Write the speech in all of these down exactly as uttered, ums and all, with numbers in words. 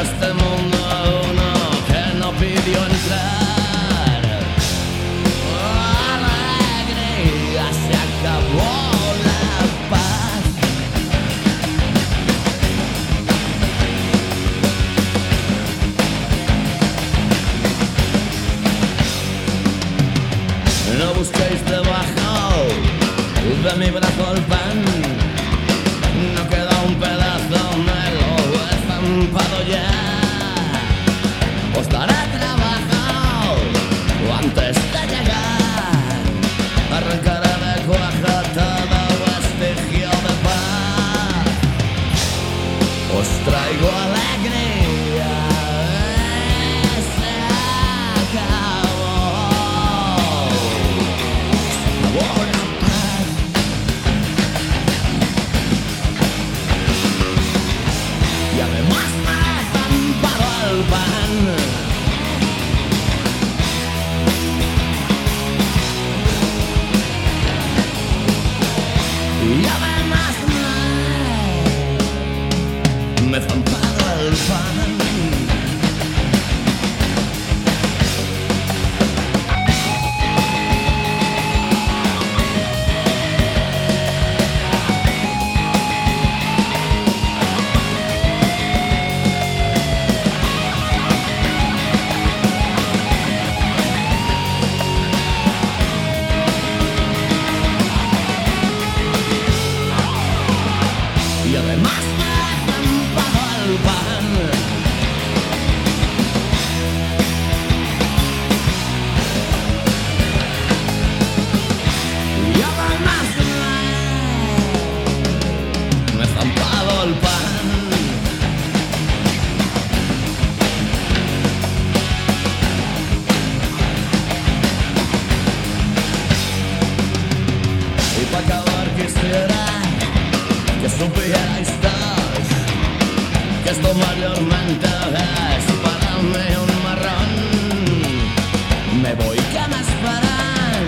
este mundo uno que no pidió entrar. Alegría, se acabó la paz. No busquéis debajo de mi brazo el pan. No queda un pedazo, me lo he estampado ya. Os daré trabajo antes de llegar. Arrancaré de cuaja todo vestigio de paz. Os traigo alegría. Se acabó. Se acabó la paz. Y además me he estampado el pan. Y además me, me he estampado el pan. Y además me he estampado el pan. Y además me, me he estampado el pan. Y para acabar quisiera que supierais todos que esto mayormente es para mí un marrón. Me voy, que me esperan,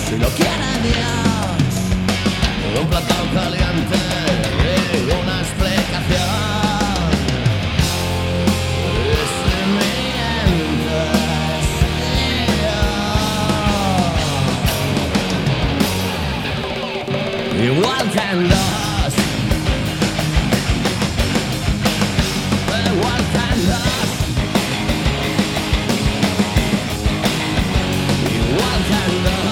si lo quiere Dios, un plato caliente y una explicación. Y si mientes, yo igual que en dos. Igual que en dos. Igual que en dos.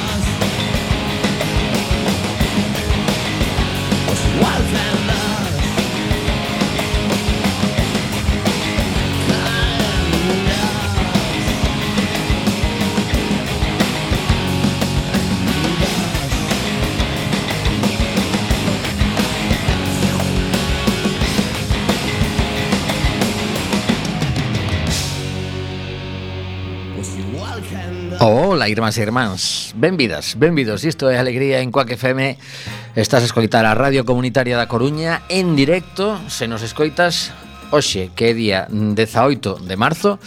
Pues igual que en dos. Ola, irmáns e irmáns, benvidas, benvidos. Isto é Alegría en Quack F M. Estás a escoitar a Radio Comunitaria da Coruña en directo. Se nos escoitas hoxe, que é día dezaoito de marzo,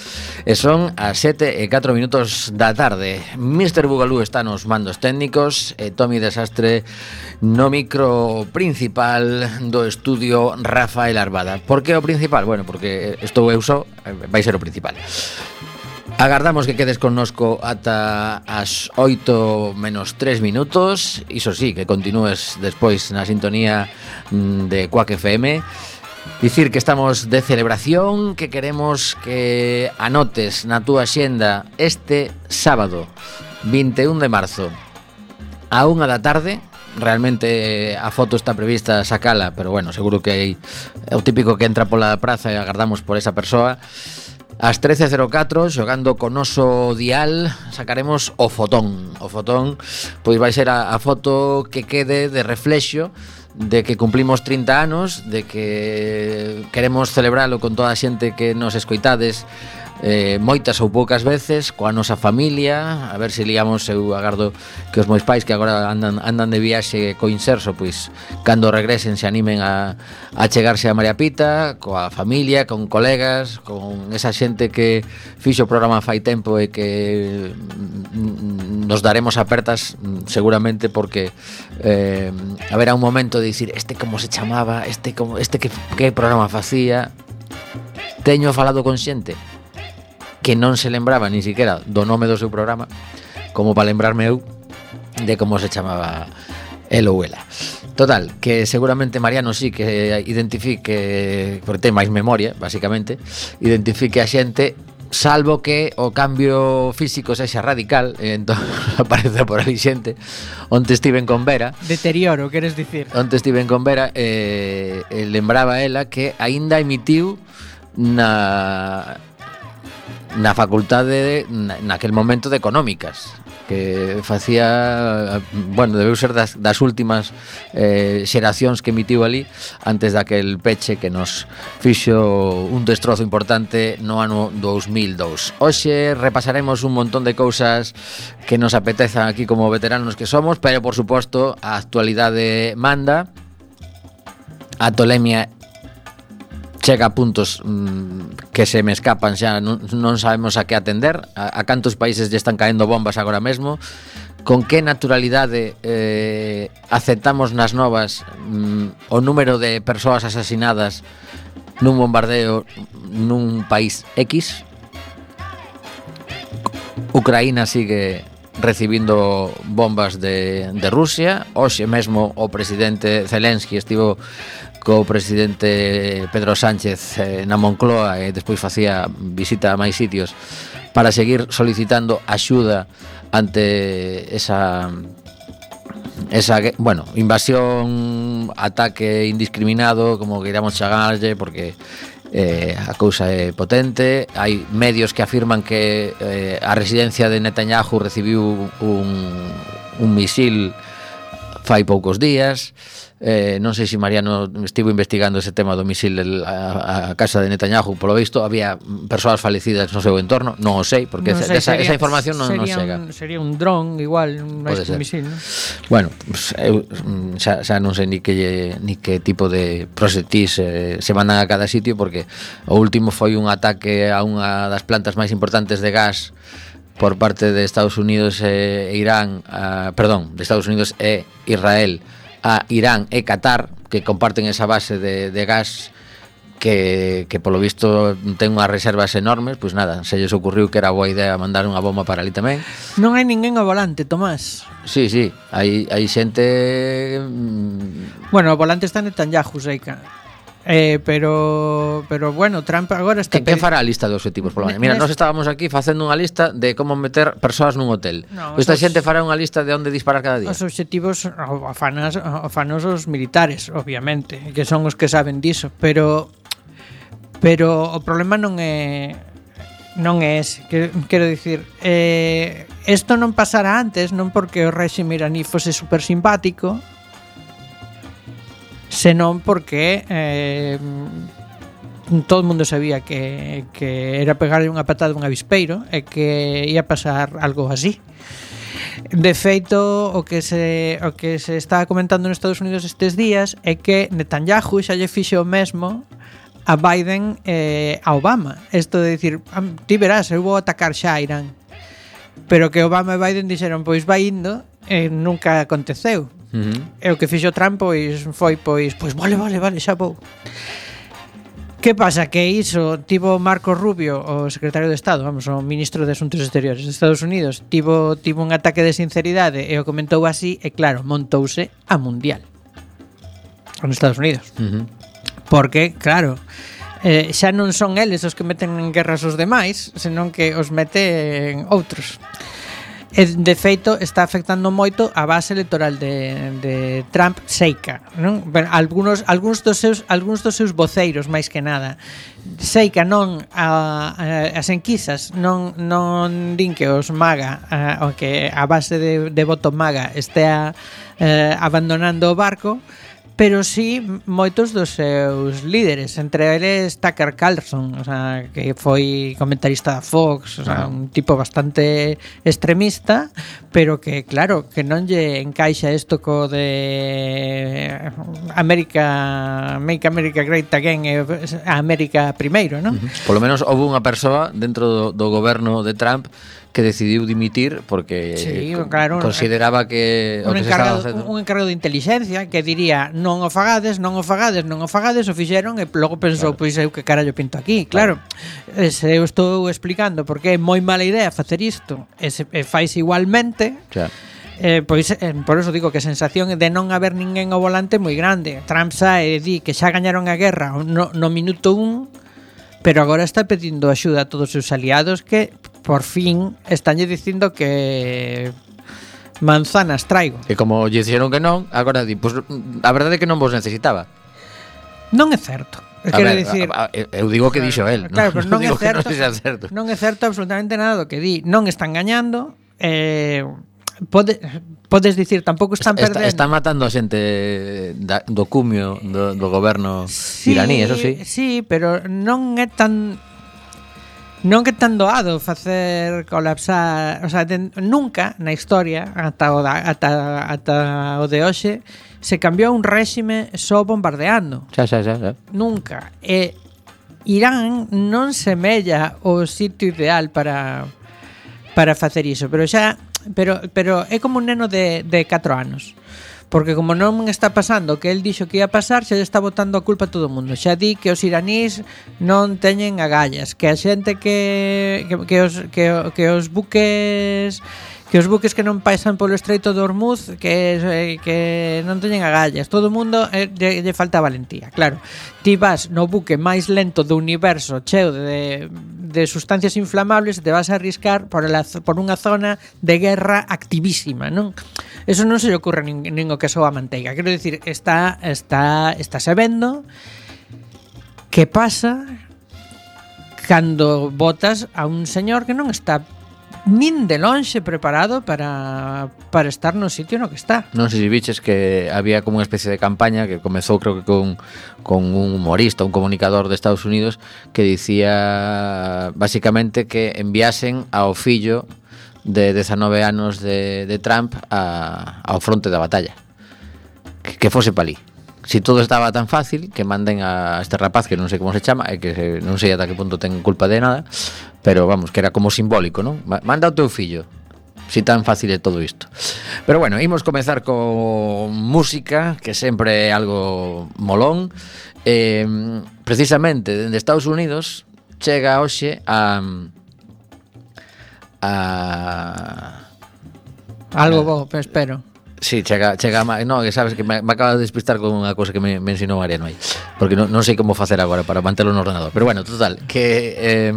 e son as sete e catro minutos da tarde. mister Bugalú está nos mandos técnicos e Tomi Desastre no micro principal do estudio Rafael Arbada. Por que o principal? Bueno, porque estou eu só, vai ser o principal. Agardamos que quedes connosco ata as oito menos tres minutos. Iso sí, que continúes despois na sintonía de Quack F M. Dicir que estamos de celebración, que queremos que anotes na túa xenda este sábado vinte e un de marzo a unha da tarde. Realmente a foto está prevista sacala, pero bueno, seguro que hai o típico que entra pola praza e agardamos por esa persoa. Ás trece cero catro, xogando con noso dial, sacaremos o fotón. O fotón, pois vai ser a, a foto que quede de reflexo de que cumplimos trinta anos, de que queremos celebralo con toda a xente que nos escoitades eh, moitas ou poucas veces, coa nosa familia. A ver se liamos, eu agardo que os meus pais, que agora andan, andan de viaxe co Inserso, pois cando regresen se animen a, a chegarse a María Pita, coa familia, con colegas, con esa xente que fixo o programa fai tempo e que nos daremos apertas seguramente, porque eh, haberá un momento de dicir este como se chamaba, este como este que, que programa facía. teño falado con xente que non se lembraba ni siquiera do nome do seu programa, como para lembrarme eu de como se chamaba el ou ela. Total, que seguramente Mariano sí que identifique, porque ten máis memoria, basicamente, identifique a xente, salvo que o cambio físico sexa radical, e entón aparece por ali xente. Onte estiven con Vera. Deterioro, queres dicir? Onte estiven con Vera e eh, lembraba ela que aínda emitiu na na facultade de, na, naquel momento de económicas, que facía, bueno, debeu ser das, das últimas eh, xeracións que emitiu ali antes daquel peche que nos fixo un destrozo importante no ano dos mil dous. Hoxe repasaremos un montón de cousas que nos apetezan aquí como veteranos que somos, pero por suposto a actualidade manda, a tolemia chega a puntos mmm, que se me escapan xa, non, non sabemos a que atender, a, a cantos países lle están caendo bombas agora mesmo, con que naturalidade eh, aceptamos nas novas mmm, o número de persoas asasinadas nun bombardeo nun país X. Ucraína sigue recibindo bombas de, de Rusia. Hoxe mesmo o presidente Zelensky estivo co presidente Pedro Sánchez eh, na Moncloa e despois facía visita a máis sitios para seguir solicitando axuda ante esa esa, bueno, invasión, ataque indiscriminado, como queiramos chamarlle, porque eh, a cousa é potente. Hai medios que afirman que eh, a residencia de Netanyahu recibiu un, un misil fai poucos días. Eh, non sei se Mariano estivo investigando ese tema do misil del, a, a casa de Netanyahu. Polo visto había persoas falecidas no seu entorno, non o sei, porque non esa, sei, sería, esa información non nos sería chega. Un, sería un dron igual, máis que un misil, non? Bueno, pues, eu xa, xa non sei ni que ni que tipo de proxectis eh, se mandan a cada sitio, porque o último foi un ataque a unha das plantas máis importantes de gas por parte de Estados Unidos e Irán, a, perdón, de Estados Unidos e Israel a Irán e Qatar, que comparten esa base de, de gas que, que polo visto ten unhas reservas enormes. Pois nada, se lles ocurriu que era boa idea mandar unha bomba para ali tamén. Non hai ninguén ao volante, Tomás. Sí, sí, hai, hai xente... Bueno, o volante está Netanyahu, Seica. Eh, pero pero bueno, Trump agora está... Que, que fará a lista de objetivos polo menos? Mira, nós estábamos aquí facendo unha lista de como meter persoas nun hotel. No, esta xente fará unha lista de onde disparar cada día. Os objetivos afanas, afanos os militares, obviamente, que son os que saben diso, pero pero o problema non é non é ese, que, quero dicir, eh, isto non pasará antes, non porque o réxime iraní fose super simpático, senón porque eh, todo o mundo sabía que, que era pegarle unha patada a un avispeiro e que ia pasar algo así. De feito, o que se o que se está comentando nos Estados Unidos estes días é que Netanyahu xa lle fixe o mesmo a Biden e a Obama. Isto de dicir, ti verás, eu vou atacar xa a Irán. Pero que Obama e Biden dixeron, pois vai indo, e nunca aconteceu. Uh-huh. E o que fixo Trump pois foi pois pois vale, vale, vale, xa vou. Que pasa? Que iso tivo Marco Rubio, o secretario de Estado, vamos, o ministro de Asuntos Exteriores de Estados Unidos, tivo tivo un ataque de sinceridade e o comentou así, e claro, montouse a mundial nos Estados Unidos. Uh-huh. Porque, claro, eh, xa non son eles os que meten en guerras os demais, senón que os meten outros. E, de feito, está afectando moito a base electoral de, de Trump, Seica, non? Bueno, algunos, algunos, dos seus, algunos dos seus voceiros, máis que nada. Seica non a, a, as enquisas non, non din que os MAGA, a, o que a base de, de voto MAGA estea eh, abandonando o barco, pero sí moitos dos seus líderes, entre eles Tucker Carlson, o sea, que foi comentarista da Fox, o sea, un tipo bastante extremista, pero que claro, que non lle encaixa isto co de América, Make America Great Again, e a América primeiro, non? Uh-huh. Por lo menos houve unha persoa dentro do, do goberno de Trump que decidiu dimitir porque sí, claro, consideraba que un, o que encargado, se estaba facendo... un encargado de inteligencia que diría non o fagades, non o fagades, non o fagades, o fixeron e logo pensou, claro, pois eu que carallo pinto aquí. Claro, claro. Se eu estou explicando porque é moi mala idea facer isto e, se, e fais igualmente, claro. Eh, pois eh, por eso digo que a sensación de non haber ninguén ao volante é moi grande. Trump sae e di que xa gañaron a guerra no, no minuto un, pero agora está pedindo axuda a todos os seus aliados que por fin estánlle dicindo que manzanas traigo. E como lle dixeron que non, agora di, pois a verdade é que non vos necesitaba. Non é certo. Quero dicir, a, a, eu digo que dixo el, claro, non, pero non, non é certo, non, certo. non é certo absolutamente nada do que di. Non están gañando, eh Pode, podes dicir, tampouco están está, perdendo. Están matando a xente da, do cumio do, do goberno sí, iraní, eso sí. Sí, pero non é tan non é tan doado facer colapsar, o sea, de, nunca na historia ata o da, ata, ata o de hoxe se cambiou un réxime só bombardeando. Xa, xa, xa, xa. Nunca. E Irán non semella o sitio ideal para para facer iso, pero xa Pero, pero é como un neno de, de catro anos. Porque como non está pasando o que el dixo que ia pasar, xa lle está botando a culpa a todo o mundo. Xa di que os iranís non teñen agallas, que a xente que, que, que, os, que, que os buques que os buques que non pasan polo Estreito de Hormuz que, que non teñen agallas. Todo o mundo eh, lle, lle falta valentía. Claro, ti vas no buque máis lento do universo, cheo de, de sustancias inflamables, te vas a arriscar por, la, por unha zona de guerra activísima, non? Eso non se lle ocurre nin, nin o que soa a manteiga. Quero dicir, está, está, está se vendo que pasa cando botas a un señor que non está nin de lonxe preparado para, para estar no sitio no que está. Non sei se biches que había como unha especie de campaña que comezou creo que con, con un humorista, un comunicador de Estados Unidos que dicía basicamente que enviasen ao fillo de dezanove anos de, de Trump a, ao fronte da batalla, que, que fose pa ali. Si todo estaba tan fácil, que manden a este rapaz que non sei como se chama e que non sei ata que punto ten culpa de nada, pero vamos, que era como simbólico, non? Manda o teu fillo, si tan fácil é todo isto. Pero bueno, imos comezar con música, que sempre é algo molón. Eh, precisamente, dende Estados Unidos chega hoxe a a algo bo, espero. Sí, chega, chega, no, que sabes que me, me acaba de despistar con unha cousa que me, me ensinou Mariano aí, porque non, non sei como facer agora para mantelo no ordenador. Pero bueno, total, que eh,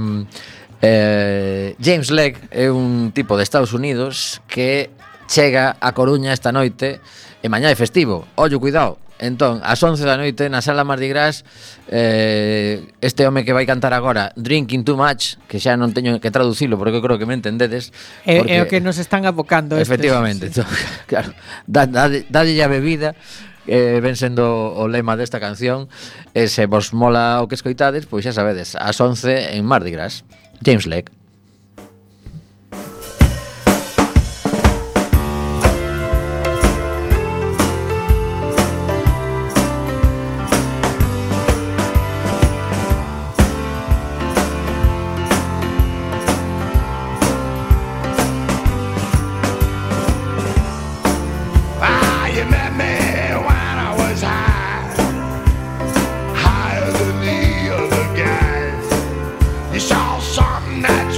eh, James Legg é un tipo de Estados Unidos que chega a Coruña esta noite e mañá é festivo. Ollo, cuidado. Entón, ás once da noite na sala Mardi Gras, eh, este home que vai cantar agora Drinking Too Much, que xa non teño que traducilo porque eu creo que me entendedes, é, é o que nos están abocando efectivamente, estes, sí. Claro, dalle a bebida, eh, ven sendo o lema desta canción, e se vos mola o que escoitades, pois xa sabedes, ás once en Mardi Gras. James Legg. That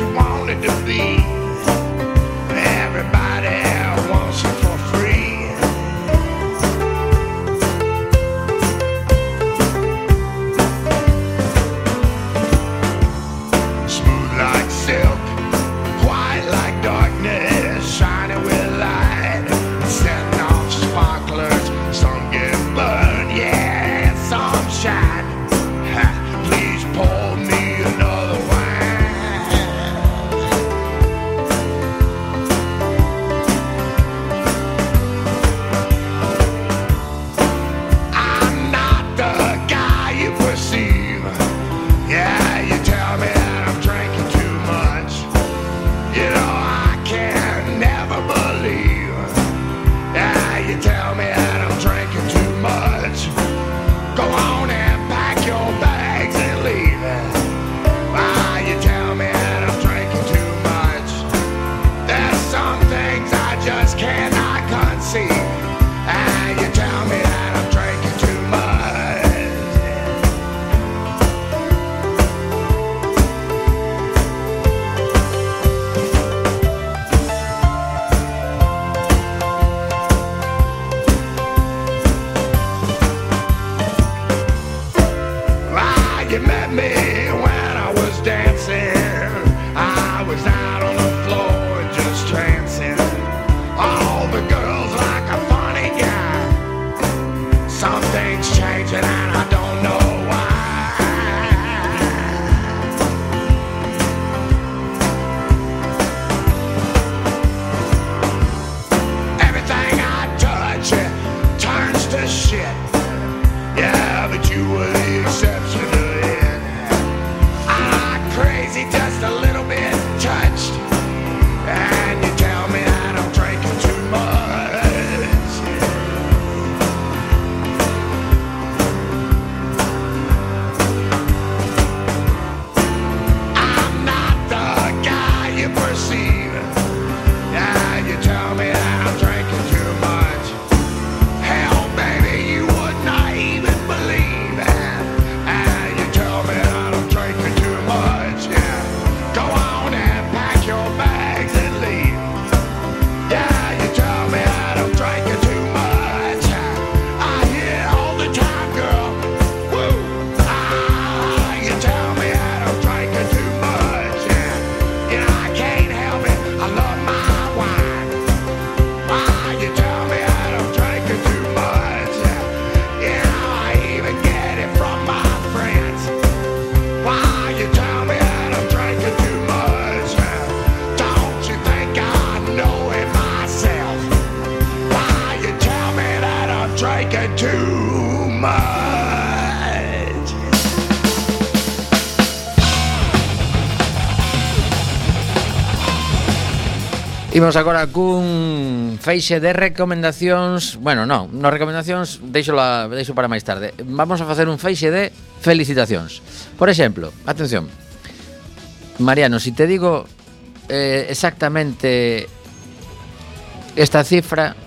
Imos agora cun feixe de recomendacións. Bueno, non, no recomendacións deixo, la, deixo para máis tarde. Vamos a facer un feixe de felicitacións. Por exemplo, atención, Mariano, si te digo eh, exactamente esta cifra,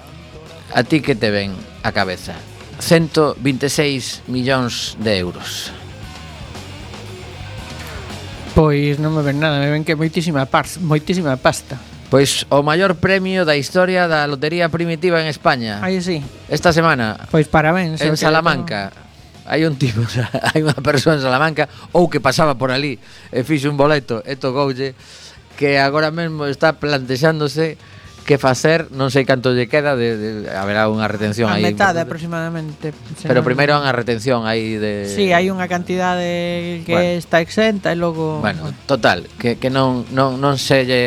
a ti que te ven a cabeza? ciento veintiséis millóns de euros. Pois non me ven nada, me ven que moitísima pasta, moitísima pasta. Pois o maior premio da historia da lotería primitiva en España. Aí sí. Esta semana Pois parabéns. en Salamanca. Hai un tipo, hai unha persoa en Salamanca ou que pasaba por ali e fixe un boleto e tocoulle, que agora mesmo está plantexándose que facer, non sei canto lle queda de, de haberá unha retención a aí. A metade aproximadamente. Pero primeiro hai unha retención aí de... Sí, hai unha cantidade que bueno. está exenta e logo... Bueno, total, que, que non, non, non se lle...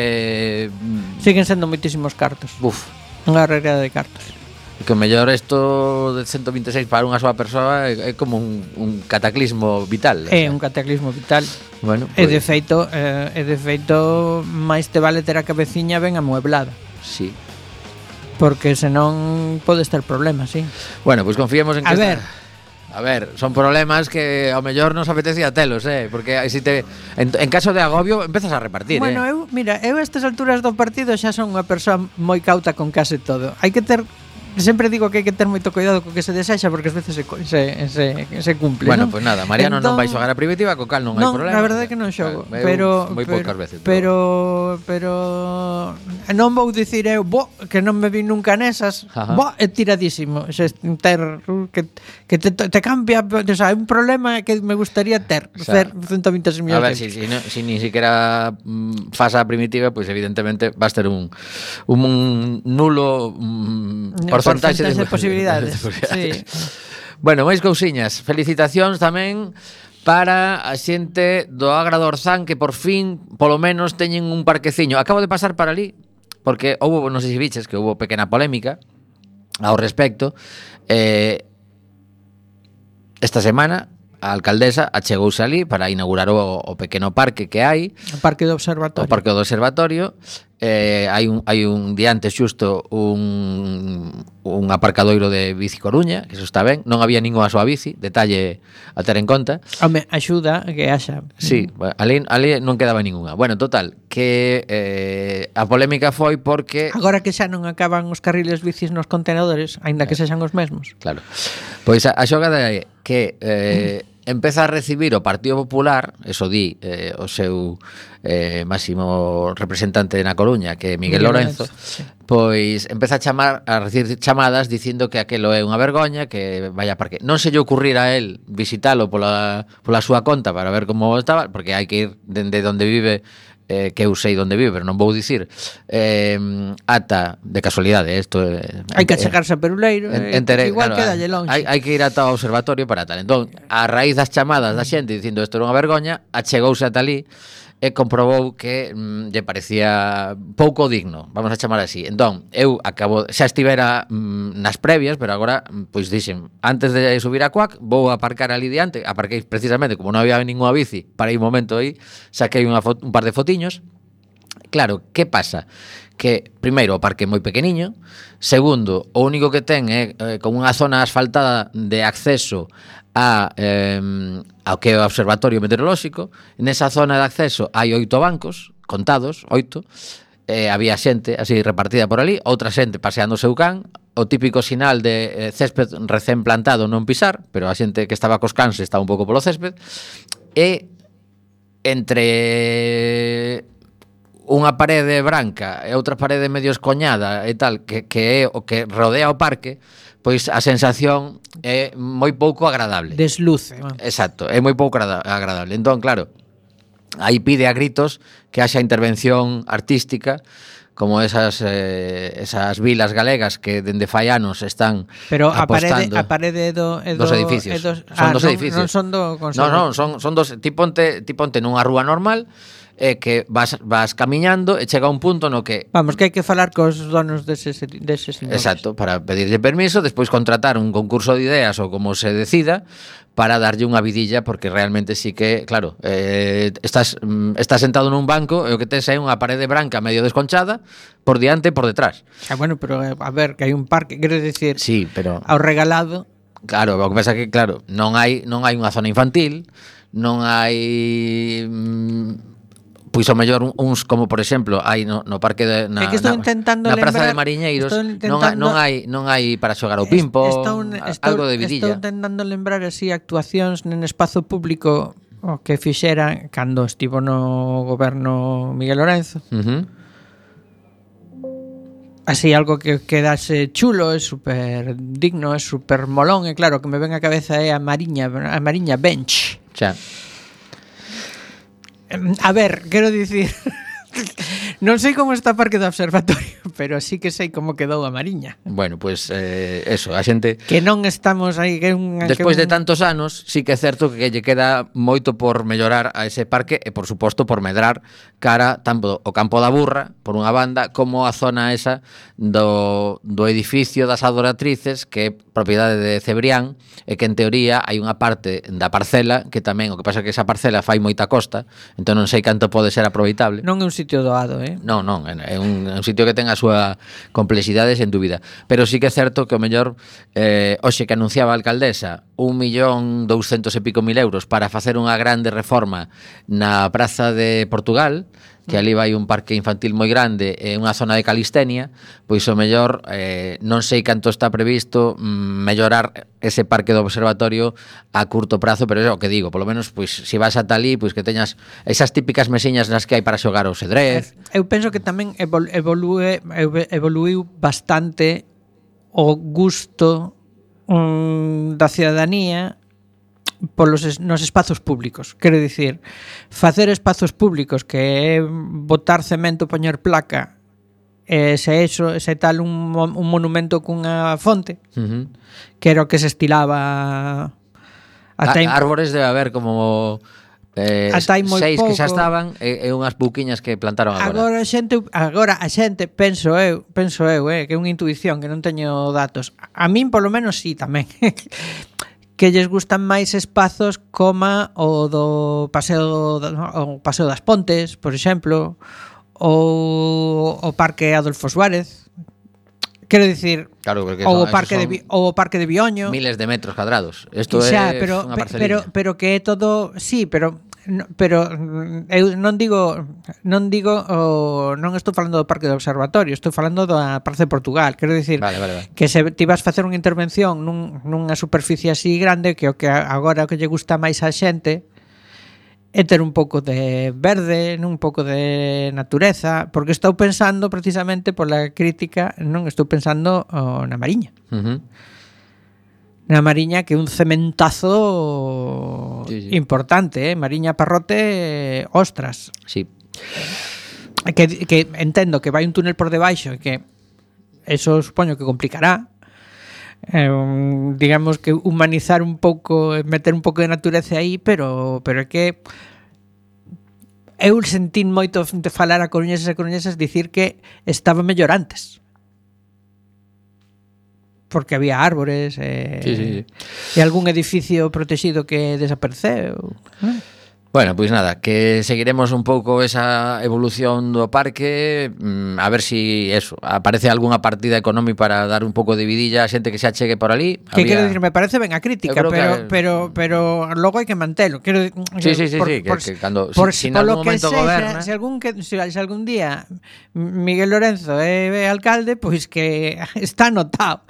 Siguen sendo moitísimos cartos. Buf. Unha regada de cartos. Que o mellor isto de ciento veintiséis para unha soa persoa é, é como un, un cataclismo vital. É un cataclismo vital. Bueno, pues... E de feito, eh, e de feito máis te vale ter a cabeciña ben amueblada. Sí. Porque senón podes ter problemas, sí. Bueno, pois pues confiemos en que A ver, esta... A ver, son problemas que ao mellor nos apetecía telos, eh, porque si te en, en caso de agobio empezas a repartir, bueno, eh. eu, mira, eu a estas alturas do partido xa son unha persoa moi cauta con case todo. Hai que ter Sempre digo que hai que ter moito cuidado co que se desexa, porque ás veces se, se, se, se cumple. Bueno, ¿no? pois pues nada, Mariano entón, non vai xogar a primitiva, co cal non, non hai problema. Non, a verdade é que non xogo, eu, pero moi pero, poucas veces. Pero pero non vou dicir eu, bo, que non me vi nunca nesas, Ajá. bo, é tiradísimo, se ter que que te, te cambia, o sea, é un problema que me gustaría ter, o sea, ter ciento veintiséis millóns. A ver, si, si, no, si ni siquiera mm, fas a primitiva, pois pues evidentemente vas ter un un nulo mm, porcentaxe de, de posibilidades. de posibilidades. Sí. Bueno, máis cousiñas. Felicitacións tamén para a xente do Agra do Orzán, que por fin, polo menos, teñen un parqueciño. Acabo de pasar para ali, porque houve, non sei se biches, que houve pequena polémica ao respecto. Eh, esta semana a alcaldesa achegouse ali para inaugurar o, o pequeno parque que hai, o parque do observatorio. O parque do observatorio. Eh, hai un hai un diante xusto un un aparcadoiro de bici Coruña, que eso está ben, non había ningunha súa bici, detalle a ter en conta. Home, axuda que haxa. Sí, ali, ali non quedaba ningunha. Bueno, total, que eh, a polémica foi porque agora que xa non acaban os carriles bicis nos contenedores, aínda que sexan os mesmos. Claro. Pois a, a xogada é que eh, empeza a recibir o Partido Popular, eso di eh, o seu eh, máximo representante na Coruña, que é Miguel, Miguel Lorenzo, sí. Pois empeza a chamar a recibir chamadas dicindo que aquelo é unha vergoña, que vaya parque. Non se lle ocurrir a él visitalo pola, pola súa conta para ver como estaba, porque hai que ir dende onde vive, eh, que eu sei onde vive, pero non vou dicir, eh, ata, de casualidade, isto eh, hai que achegarse a Peruleiro, en, entere, igual claro, quedalle longe. Hai, hai que ir ata o observatorio para tal. Entón, a raíz das chamadas da xente dicindo isto era unha vergoña, achegouse ata ali e comprobou que mm, lle parecía pouco digno, vamos a chamar así. Entón, eu acabo, xa estivera mm, nas previas, pero agora, pois dixen, antes de subir a Cuac, vou aparcar ali diante, aparquei precisamente, como non había ninguna bici, para aí un momento aí, saquei unha fo- un par de fotiños. Claro, que pasa? Que, primeiro, o parque é moi pequeniño. Segundo, o único que ten é eh, como unha zona asfaltada de acceso a, eh, ao que é o observatorio meteorolóxico. Nesa zona de acceso hai oito bancos, contados, oito. Eh, había xente así repartida por ali, outra xente paseando o seu can, o típico sinal de eh, césped recén plantado non pisar, pero a xente que estaba cos cans estaba un pouco polo césped. E entre unha parede branca e outra parede medio escoñada e tal, que, que é o que rodea o parque, pois a sensación é moi pouco agradable. Desluce. Exacto, é moi pouco agradable. Entón, claro, aí pide a gritos que haxa intervención artística, como esas eh, esas vilas galegas que dende fai anos están pero apostando. Pero a parede, a parede do, é do dos edificios. É dos, son ah, dos non, edificios. Non son do No, no, son son dos, ti ponte, ti ponte nunha rúa normal, é que vas, vas camiñando e chega un punto no que... Vamos, que hai que falar cos donos deses, deses inmuebles. Exacto, para pedirlle permiso, despois contratar un concurso de ideas ou como se decida para darlle unha vidilla, porque realmente sí que, claro, eh, estás, mm, estás sentado nun banco e o que tes é unha parede branca medio desconchada por diante e por detrás. Ah, bueno, pero eh, a ver, que hai un parque, quero dicir, Sí, pero... ao regalado. Claro, o que pasa que, claro, non hai non hai unha zona infantil, non hai mm, pois ao mellor uns como por exemplo hai no, no parque de, na, É que estou na, intentando na Praza lembrar, de Mariñeiros intentando, non, ha, non hai non hai para xogar ao pimpo, estou, estou, algo de estou vidilla. intentando lembrar así actuacións en espazo público o que fixera cando estivo no goberno Miguel Lorenzo. Uh-huh. Así algo que quedase chulo, é super digno, é super molón, e claro, que me ven a cabeza é a Mariña, a Mariña Bench. Xa. A ver, quero dicir, non sei como está o parque do observatorio, pero sí que sei como quedou a Mariña. Bueno, pois pues, eh, eso, a xente Que non estamos aí que un, despois que un... de tantos anos, sí que é certo que lle queda moito por mellorar a ese parque e, por suposto, por medrar cara tanto o Campo da Burra, por unha banda, como a zona esa do, do edificio das Adoratrices, que é propiedade de Cebrián, e que, en teoría, hai unha parte da parcela que tamén, o que pasa é que esa parcela fai moita costa, entón non sei canto pode ser aproveitable. Non é un sitio doado, eh? Non, non, é un, é un sitio que ten a súa complexidade sen dúbida, pero sí que é certo que o mellor eh, hoxe que anunciaba a alcaldesa un millón douscentos e pico mil euros para facer unha grande reforma na Praza de Portugal, que ali vai un parque infantil moi grande e unha zona de calistenia, pois o mellor eh, non sei canto está previsto mm, mellorar ese parque do observatorio a curto prazo, pero é o que digo, polo menos pois se vas ata ali, pois que teñas esas típicas mesiñas nas que hai para xogar ao xadrez. Eu penso que tamén evol- evolue evoluiu bastante o gusto um, da cidadanía polos es, nos espazos públicos. Quero dicir, facer espazos públicos que é botar cemento, poñer placa, e se eso, se tal un, un monumento cunha fonte, Uh-huh. que era o que se estilaba ata A, árbores debe haber como eh, Ata hai moi seis que xa pouco. estaban e, e unhas buquiñas que plantaron agora. Agora a xente, agora a xente, penso eu, penso eu, eh, que é unha intuición, que non teño datos. A min polo menos sí tamén. Que lles gustan máis espazos como o do Paseo o Paseo das Pontes, por exemplo, ou o Parque Adolfo Suárez. Quero dicir, Claro, porque ou o son- Parque esos de son Vi- ou o Parque de Bioño. miles de metros cadrados. Isto Xa, é pero, unha pe- parcelina. pero pero que é todo, sí, pero no, pero mm, eu non digo non digo o, non estou falando do Parque do Observatorio, estou falando da Praza de Portugal. Quero dicir Vale, vale, vale. que se ti vas facer unha intervención nun, nunha superficie así grande, que o que agora o que lle gusta máis á xente é ter un pouco de verde, un pouco de natureza, porque estou pensando precisamente pola crítica, non estou pensando o, na Mariña. Uh-huh. Na Mariña, que é un cementazo Sí, sí. importante, eh? Mariña Parrote, ostras. Sí. Que, que entendo que vai un túnel por debaixo e que eso supoño que complicará. Eh, un, digamos que humanizar un pouco, meter un pouco de natureza aí, pero pero é que eu sentín moito de falar a coruñeses e coruñesas dicir que estaba mellor antes. Porque había árbores eh, Sí, sí, sí. e algún edificio protegido que desapareceu. ¿No? Bueno, pois nada, que seguiremos un pouco esa evolución do parque, mm, a ver si eso, aparece algunha partida económica para dar un pouco de vidilla a xente que se achegue por ali. Que Había... quero dicir, me parece ben a crítica, Eu creo pero, que- pero pero logo hai que mantelo. Quero Sí, sí, sí, sí, que- que cando- por, si- si en polo algún que momento sexa, goberna- se algún que se, se algún día Miguel Lorenzo é, é alcalde, pois que está anotado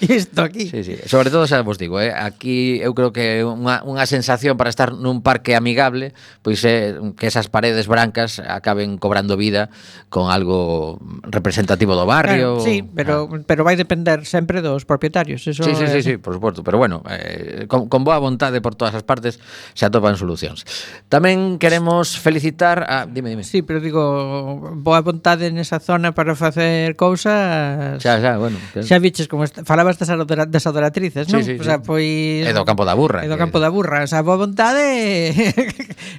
isto aquí. Sí, sí. Sobre todo, xa vos digo, eh, aquí eu creo que unha, unha sensación para estar nun parque amigable, pois é que esas paredes brancas acaben cobrando vida con algo representativo do barrio. Claro, sí, pero Ah. pero vai depender sempre dos propietarios, eso Sí, sí, sí, é- sí, por suposto, pero bueno, eh, con, con boa vontade por todas as partes se atopan solucións. Tamén queremos felicitar a... Dime, dime. Sí, pero digo, boa vontade nesa zona para facer cousas. Xa, xa, bueno. Que... Xa viches como est- falabas das, adora- das adoratrices, non? Sí, sí, o sea, sí. pois É do Campo da Burra. É do que- Campo da Burra, o sea, boa vontade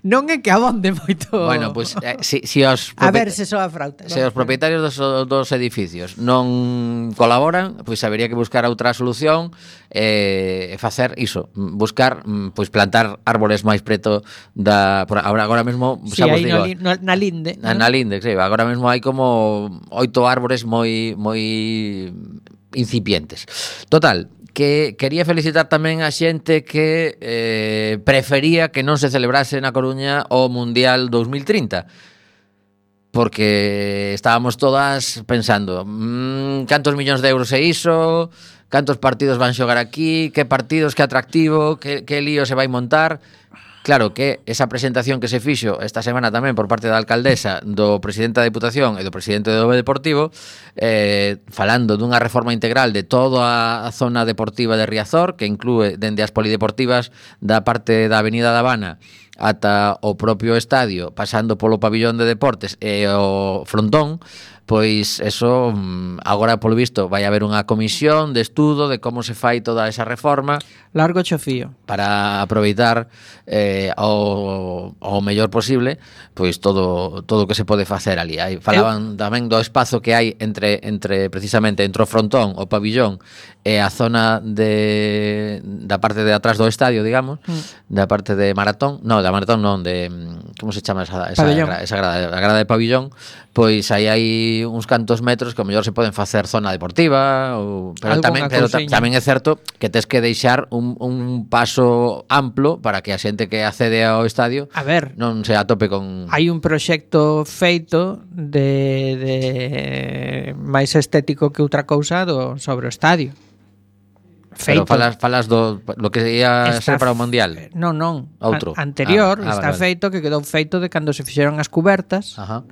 non é que abonde moito. Bueno, pois pues, eh, si, si os a ver se soa frauta. Se os propietarios dos, dos edificios non colaboran, pois pues, habería que buscar outra solución e eh, facer iso, buscar, pois pues, plantar árboles máis preto da por agora agora mesmo, sí, xa vos aí digo, no, no, na linde, na, na linde, sí, agora mesmo hai como oito árbores moi moi incipientes. Total, que quería felicitar tamén a xente que eh, prefería que non se celebrase na Coruña o Mundial dos mil trinta, porque estábamos todas pensando mmm, cantos millóns de euros é iso, cantos partidos van xogar aquí, que partidos, que atractivo, que, que lío se vai montar. Claro que esa presentación que se fixo esta semana tamén por parte da alcaldesa, do presidente da Diputación e do presidente do Deportivo, eh, falando dunha reforma integral de toda a zona deportiva de Riazor, que inclúe dende as polideportivas da parte da Avenida da Habana ata o propio estadio, pasando polo pabillón de deportes e o frontón, pois eso agora polo visto vai haber unha comisión de estudo de como se fai toda esa reforma. Largo chofío. Para aproveitar eh, ao, ao mellor posible pois todo todo o que se pode facer ali. Aí falaban Eu... tamén do espazo que hai entre entre precisamente entre o frontón, o pabillón e a zona de da parte de atrás do estadio, digamos, mm. da parte de maratón, no, da maratón non, de como se chama esa esa, gra, esa grada, a grada de pabillón, pois aí hai uns cantos metros que ao mellor se poden facer zona deportiva ou pero Algo tamén pero ta, tamén é certo que tes que deixar un, un paso amplo para que a xente que accede ao estadio a ver, non se atope con... Hai un proxecto feito de, de máis estético que outra cousa do, sobre o estadio. Feito. Pero falas, falas do lo que ia ser para o Mundial. Non, non. Outro. A, anterior ah, ah, está vale, feito que quedou feito de cando se fixeron as cubertas. Ajá.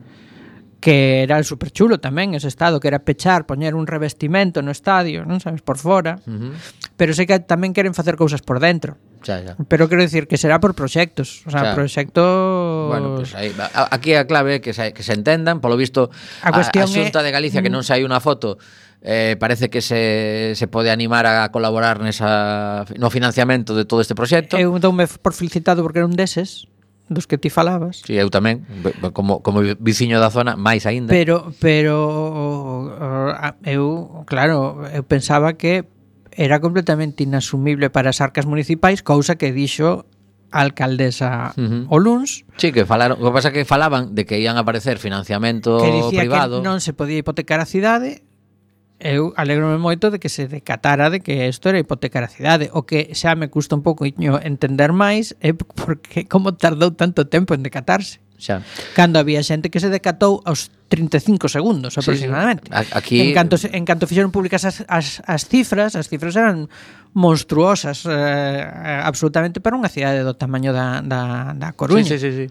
Que era super chulo tamén ese estado, que era pechar, poñer un revestimento no estadio, non sabes, por fora. Uh-huh. Pero sei que tamén queren facer cousas por dentro. Xa, xa. Pero quero dicir que será por proxectos, o sea, xa. proxectos. Bueno, pues aí, aquí a clave é que se, que se entendan, polo visto a, a, a Xunta é... de Galicia que non sai unha foto. Eh, parece que se, se pode animar a colaborar nesa, no financiamento de todo este proxecto. Eu doume por felicitado porque era un deses dos que ti falabas. Si, sí, eu tamén, como, como viciño da zona, máis aínda. Pero, pero eu, claro, eu pensaba que era completamente inasumible para as arcas municipais, cousa que dixo a alcaldesa uh-huh. o luns. Sí, que falaron, o que pasa que falaban de que ian aparecer financiamento que dicía privado. Que non se podía hipotecar a cidade. Eu alegrome moito de que se decatara de que isto era hipotecar a cidade. O que xa me custa un pouco entender máis é porque como tardou tanto tempo en decatarse. Xa. Cando había xente que se decatou aos trinta e cinco segundos aproximadamente. Sí, sí. Aquí... En canto, en canto fixeron públicas as, as, as cifras, as cifras eran monstruosas, eh, absolutamente para unha cidade do tamaño da, da, da Coruña. Sí, sí, sí, sí.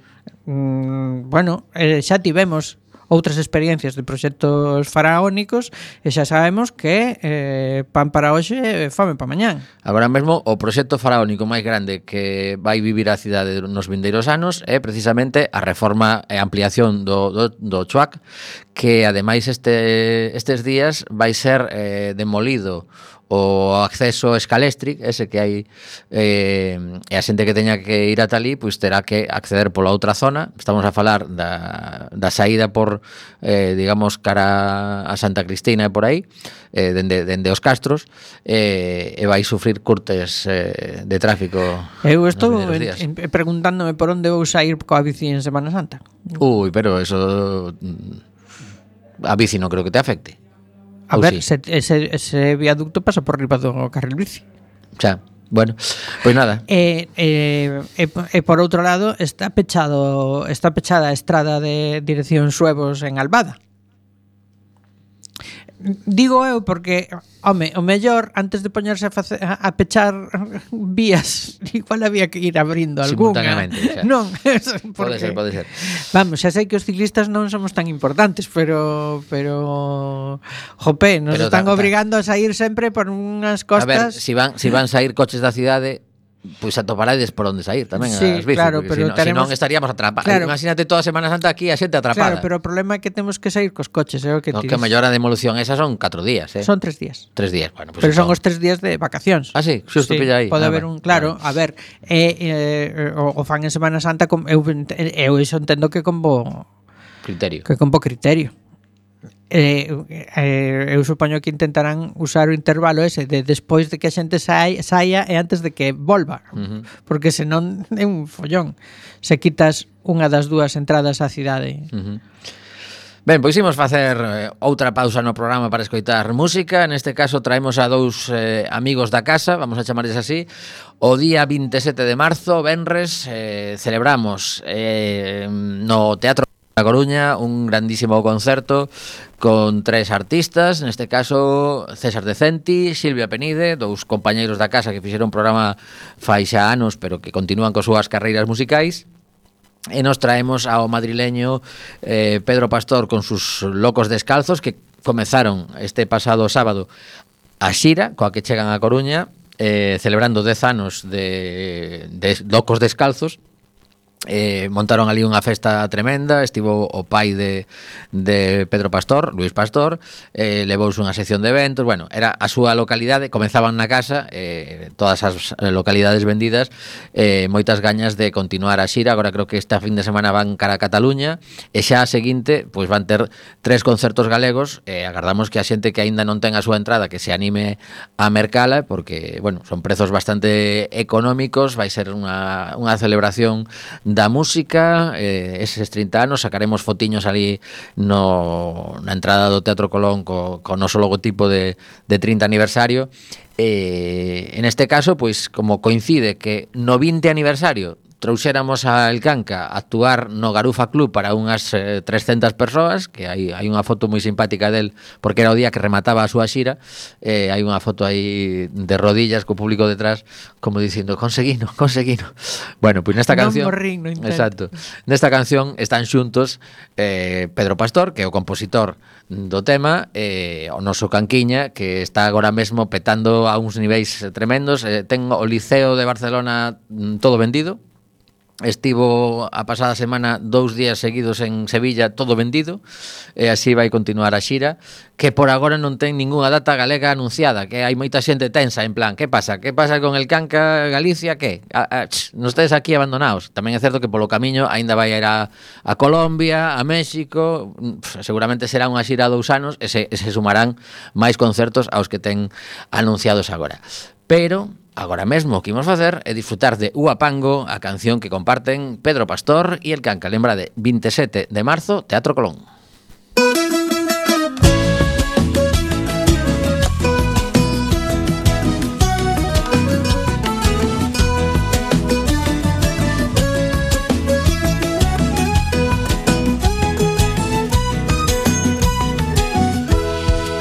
Mm, bueno, eh, xa tivemos outras experiencias de proxectos faraónicos e xa sabemos que eh, pan para hoxe e fame para mañán. Agora mesmo o proxecto faraónico máis grande que vai vivir a cidade nos vindeiros anos é precisamente a reforma e ampliación do, do, do Chuac, que ademais este, estes días vai ser eh, demolido o acceso escalestric, ese que hai eh, e a xente que teña que ir ata ali pois terá que acceder pola outra zona. Estamos a falar da, da saída por eh, digamos cara a Santa Cristina e por aí eh, dende, dende os Castros eh, e vai sufrir curtes eh, de tráfico. Eu estou en, en, preguntándome por onde vou sair coa bici en Semana Santa. Ui, pero eso a bici non creo que te afecte. A oh, ver, sí. ese, ese viaducto pasa por riba do carril bici. Xa, bueno, pois nada. E, e, e, e por outro lado está pechado está pechada a estrada de dirección Suevos en Albada. Digo eu porque, home, o mellor antes de poñerse a, face, a, a pechar vías, igual había que ir abrindo algunha. Simultáneamente, xa. Non, porque, pode ser, pode ser. Vamos, xa sei que os ciclistas non somos tan importantes, pero pero jope, nos pero están ta, ta. obrigando a sair sempre por unhas costas. A ver, si van si van sair coches da cidade, pois atoparades por onde sair tamén Sí, as bicis, claro, porque pero si, no, teremos- si non estaríamos atrapados. Claro. Imagínate toda Semana Santa aquí a xente atrapada. Claro, pero o problema é que temos que sair cos coches, é o que no, ti que dis. mellor a demolución esa son catro días, eh. Son tres días. Tres días, bueno, pues Pero son son os tres días de vacacións. Ah, sí, xusto Sí, pilla aí. Pode Ah, haber vale. un, claro, a ver, eh, eh, o, o fan en Semana Santa com, eu, ent- eu iso entendo que con bo criterio. que con bo criterio. Eh, eh, eu supoño que intentarán usar o intervalo ese de despois de que a xente sai, saia e antes de que volva. Uh-huh. Porque senón é un follón. Se quitas unha das dúas entradas á cidade. Uh-huh. Ben, pois imos facer eh, outra pausa no programa para escoitar música. Neste caso traemos a dous eh, amigos da casa, vamos a chamarles así. O día veintisiete de marzo, venres, eh, celebramos eh, no Teatro da Coruña un grandísimo concerto con tres artistas, neste caso César Decenti, Silvia Penide, dous compañeiros da casa que fixeron un programa fai xa anos, pero que continúan coas súas carreiras musicais. E nos traemos ao madrileño eh, Pedro Pastor con sus Locos Descalzos, que comezaron este pasado sábado a xira, coa que chegan a Coruña, eh, celebrando dez anos de, de Locos Descalzos. Eh, montaron ali unha festa tremenda. Estivo o pai de, de Pedro Pastor, Luis Pastor, eh, levouse unha sección de eventos. Bueno, era a súa localidade, comenzaban na casa, eh, todas as localidades vendidas, eh, moitas gañas de continuar a xira. Agora creo que esta fin de semana van cara a Cataluña, e xa a seguinte pois van ter tres concertos galegos. eh, agardamos que a xente que aínda non ten a súa entrada que se anime a mercala, porque, bueno, son prezos bastante económicos. Vai ser unha, unha celebración da música, eh, eses trinta anos. Sacaremos fotiños ali no, na entrada do Teatro Colón co, co noso logotipo de, de trinta aniversario. Eh, en este caso, pois, como coincide que no vinte aniversario trouxéramos a El Canca a actuar no Garufa Club para unhas eh, trescentas persoas, que hai, hai unha foto moi simpática del, porque era o día que remataba a súa xira. Eh, hai unha foto aí de rodillas co público detrás, como dicindo, conseguino, conseguino. Bueno, pois nesta Non canción, morrín no intento. exacto, nesta canción están xuntos eh, Pedro Pastor, que é o compositor do tema, eh, o noso Canquiña, que está agora mesmo petando a uns niveis tremendos. Eh, ten o Liceo de Barcelona mm, todo vendido. Estivo a pasada semana dous días seguidos en Sevilla, todo vendido, e así vai continuar a xira, que por agora non ten ningunha data galega anunciada, que hai moita xente tensa, en plan, que pasa? Que pasa con el Canca Galicia? Que? A, a, ch, non estáis aquí abandonados. Tamén é certo que polo camiño aínda vai a ir a, a Colombia, a México. Pff, seguramente será unha xira dous anos, e se, e se sumarán máis concertos aos que ten anunciados agora. Pero agora mesmo o que imos facer é disfrutar de Uapango, a canción que comparten Pedro Pastor e El Canca. Lembra de veintisiete de marzo, Teatro Colón.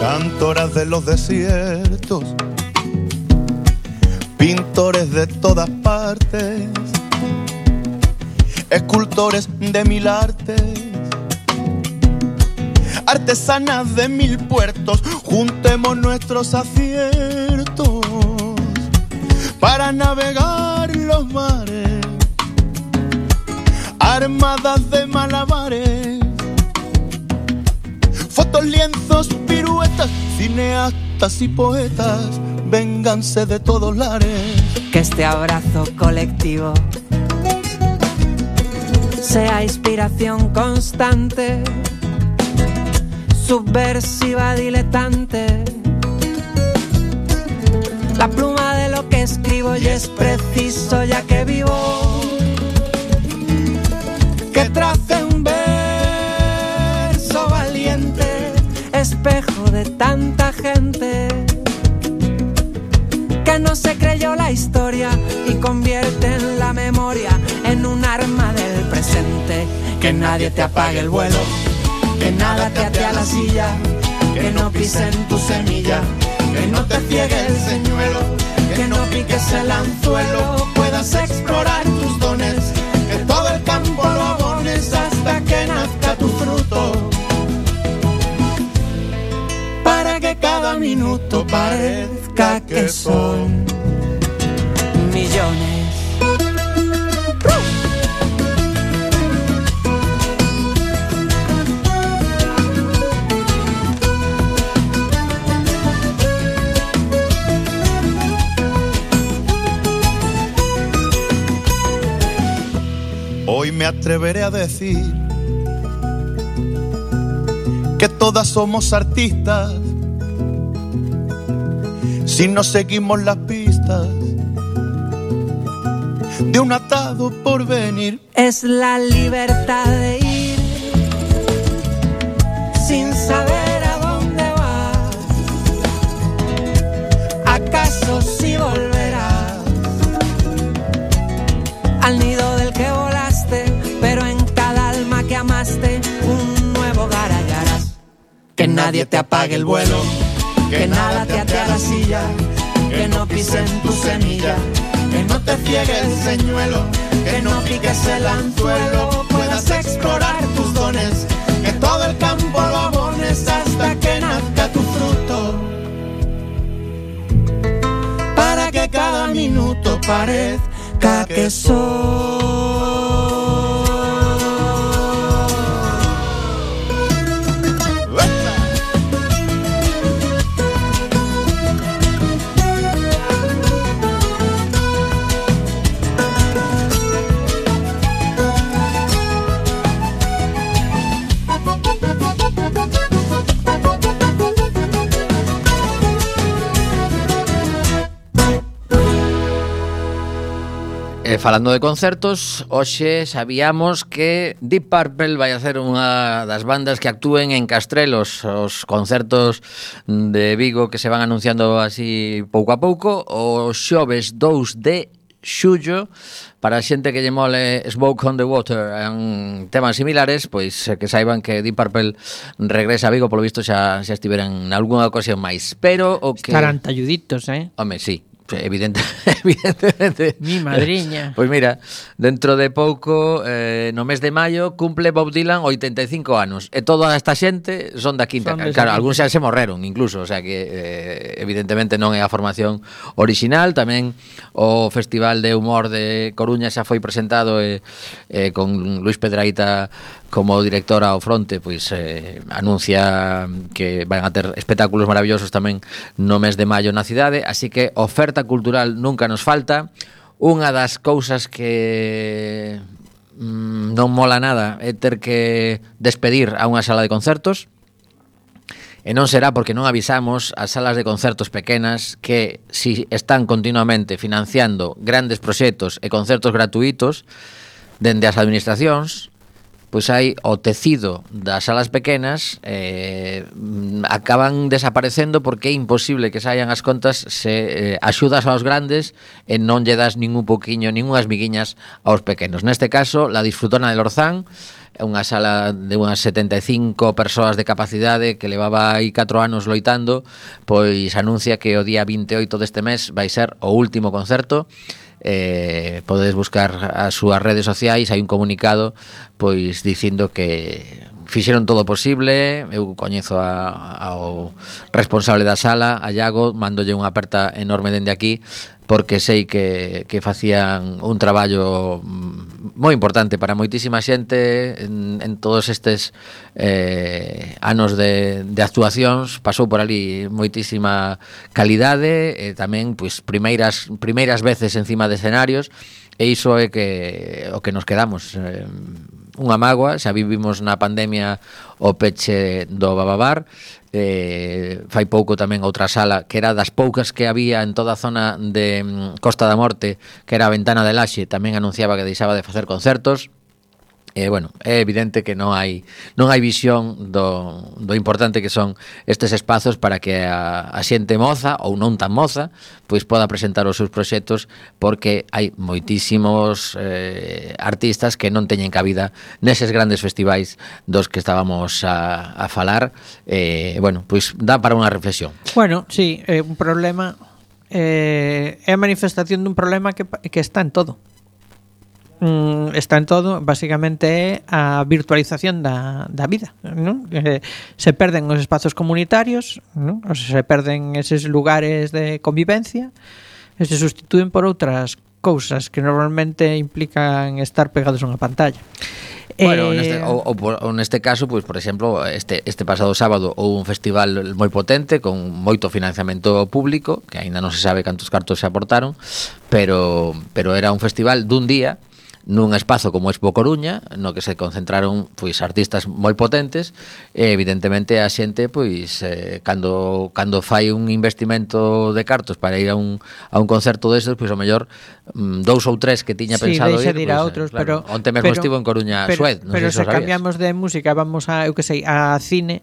Cantoras de los desiertos, pintores de todas partes, escultores de mil artes, artesanas de mil puertos. Juntemos nuestros aciertos para navegar los mares, armadas de malabares, fotos, lienzos, piruetas, cineastas y poetas. Vénganse de todos lares. Que este abrazo colectivo sea inspiración constante, subversiva, diletante. La pluma de lo que escribo y es preciso, ya que vivo, que trace un verso valiente, espejo de tanta gente que no se creyó la historia y convierte en la memoria en un arma del presente. Que nadie te apague el vuelo, que nada te ate a la silla, que no pisen tu semilla, que no te ciegue el señuelo, que no piques el anzuelo, puedas explorar tus dones, que todo el campo lo abones hasta que nazca tu fruto, para que cada minuto parezca que son millones. dones. Hoy me atreveré a decir que todas somos artistas si no seguimos las pistas de un atado por venir. Es la libertad de ir sin saber a dónde vas. ¿Acaso si volverás al nido del que volaste? Pero en cada alma que amaste un nuevo hogar hallarás. Que nadie te apague el vuelo, que nada te ate a la silla, que no pisen tu semilla, que no te ciegue el señuelo, que no piques el anzuelo, puedas explorar tus dones, que todo el campo lo abones hasta que nazca tu fruto, para que cada minuto parezca que soy. E falando de concertos, hoxe sabíamos que Deep Purple vai a ser unha das bandas que actúen en Castrelos, os concertos de Vigo que se van anunciando así pouco a pouco, o xoves dous de xullo. Para a xente que lle mole Smoke on the Water en temas similares, pois que saiban que Deep Purple regresa a Vigo, polo visto xa, xa estiveran en algunha ocasión máis. Pero o que... Estarán talluditos, eh? Home, sí. Evidente, evidentemente. Mi madriña. Pois mira, dentro de pouco, eh, no mes de maio, cumple Bob Dylan oitenta e cinco anos. E toda esta xente son da quinta. Son Claro, algúns xa se morreron, incluso. O sea que, eh, evidentemente, non é a formación original. Tamén o Festival de Humor de Coruña xa foi presentado eh, eh, con Luis Pedraíta como director ao fronte, pois eh, anuncia que van a ter espectáculos maravillosos tamén no mes de maio na cidade, así que oferta cultural nunca nos falta. Unha das cousas que mm, non mola nada é ter que despedir a unha sala de concertos, e non será porque non avisamos as salas de concertos pequenas que si están continuamente financiando grandes proxectos e concertos gratuitos dende as administracións, pois hai o tecido das salas pequenas eh, acaban desaparecendo porque é imposible que saian as contas se eh, axudas aos grandes e non lle das ningún poquiño, ningunhas miguiñas aos pequenos. Neste caso, la Disfrutona de Lorzán, unha sala de unhas setenta e cinco persoas de capacidade que levaba aí catro anos loitando, pois anuncia que o día vinte e oito deste mes vai ser o último concerto. Eh, podedes buscar as súas redes sociais, hai un comunicado pois dicindo que fixeron todo o posible. Eu coñezo a, ao responsable da sala, a Iago, mandolle unha aperta enorme dende aquí, porque sei que, que facían un traballo moi importante para moitísima xente en, en todos estes eh, anos de, de actuacións. Pasou por ali moitísima calidade e tamén pois, primeiras, primeiras veces encima de escenarios, e iso é que o que nos quedamos. Eh, unha mágoa, xa vivimos na pandemia o peche do Bababar, eh, fai pouco tamén outra sala que era das poucas que había en toda a zona de mm, Costa da Morte, que era a Ventana de Laxe, tamén anunciaba que deixaba de facer concertos. E, eh, bueno, é evidente que non hai non hai visión do, do importante que son estes espazos para que a, a xente moza ou non tan moza pois poda presentar os seus proxectos, porque hai moitísimos eh, artistas que non teñen cabida neses grandes festivais dos que estábamos a, a falar. E, eh, bueno, pois dá para unha reflexión. Bueno, sí, é un problema, eh, é a manifestación dun problema que, que está en todo. Mm, está en todo, basicamente é a virtualización da, da vida, ¿no? Eh, se perden os espazos comunitarios, ¿no? O sea, se perden eses lugares de convivencia e se sustitúen por outras cousas que normalmente implican estar pegados a unha pantalla. Bueno, eh, neste, ou, ou, ou neste caso, pois, por exemplo, este, este pasado sábado houve un festival moi potente con moito financiamento público, que aínda non se sabe cantos cartos se aportaron, pero, pero era un festival dun día nun espazo como Expo Coruña, no que se concentraron pois artistas moi potentes, e evidentemente a xente pois eh, cando cando fai un investimento de cartos para ir a un a un concerto deses, pois ao mellor mm, dous ou tres que tiña sí, pensado ir, de ir a pois, outros, claro, pero onte mesmo pero, estivo en Coruña pero, Suez, non pero sei se, se cambiamos de música, vamos a, eu que sei, a cine,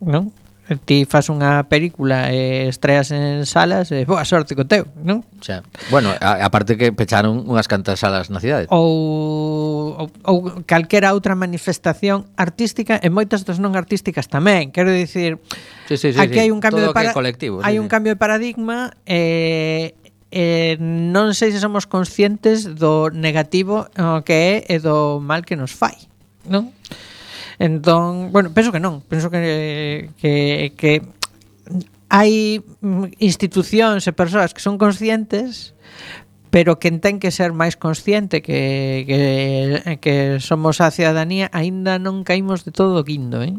non? Ti fas unha película e estreas en salas e boa sorte co teu, non? Xa. Bueno, a, aparte que pecharon unhas cantas salas na cidade. Ou, ou, ou calquera outra manifestación artística e moitas das non artísticas tamén. Quero dicir, sí, sí, sí, aquí sí. hai un cambio Todo de para... colectivo, hai sí, un sí. cambio de paradigma e eh, non sei se somos conscientes do negativo o que é e do mal que nos fai, non? Entón, bueno, penso que non, penso que que que hai institucións e persoas que son conscientes, pero quen ten que ser máis consciente que que que somos a cidadanía, aínda non caímos de todo o guindo, eh?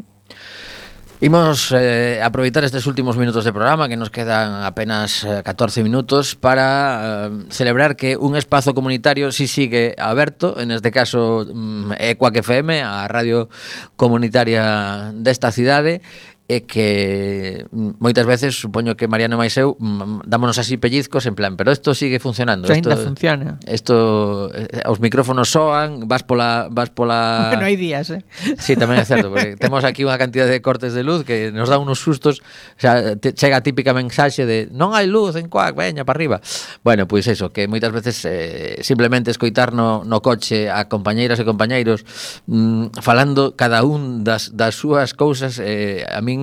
Imos eh, aproveitar estes últimos minutos de programa, que nos quedan apenas eh, catorce minutos, para eh, celebrar que un espazo comunitario si sigue aberto, en este caso mm, é Quack F M, a radio comunitaria desta cidade, e que moitas veces supoño que Mariano máis eu dámonos así pellizcos en plan, pero isto sigue funcionando, Que ainda esto, funciona. Isto, eh, os micrófonos soan, vas pola vas pola Bueno, hai días, eh. Sí, tamén é certo, porque temos aquí unha cantidad de cortes de luz que nos dá unos sustos, o sea, te, chega a típica mensaxe de non hai luz en Quack, veña para arriba. Bueno, pois eso, que moitas veces eh, simplemente escoitar no, no coche a compañeiras e compañeiros mm, falando cada un das, das súas cousas, eh, a min